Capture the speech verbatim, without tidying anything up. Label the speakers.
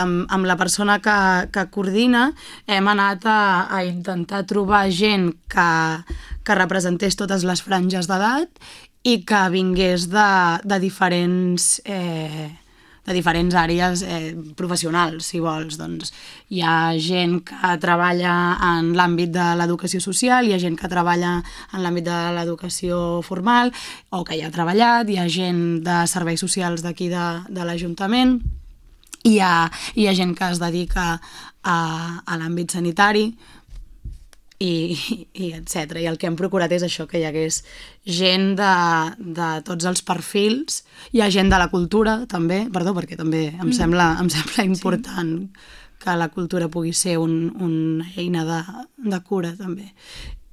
Speaker 1: Amb, amb la persona que, que coordina hem anat a, a intentar trobar gent que, que representés totes les franges d'edat i que vingués de, de diferents eh, de diferents àrees eh, professionals, si vols. Doncs hi ha gent que treballa en l'àmbit de l'educació social, hi ha gent que treballa en l'àmbit de l'educació formal o que hi ha treballat, hi ha gent de serveis socials d'aquí de, de l'Ajuntament. Hi ha, hi ha gent que es dedica a, a l'àmbit sanitari i, i etcètera. I el que hem procurat és això, que hi hagués gent de, de tots els perfils. Hi ha gent de la cultura, també, perdó, perquè també em, mm. sembla, em sembla important sí. que la cultura pugui ser un, una eina de, de cura, també.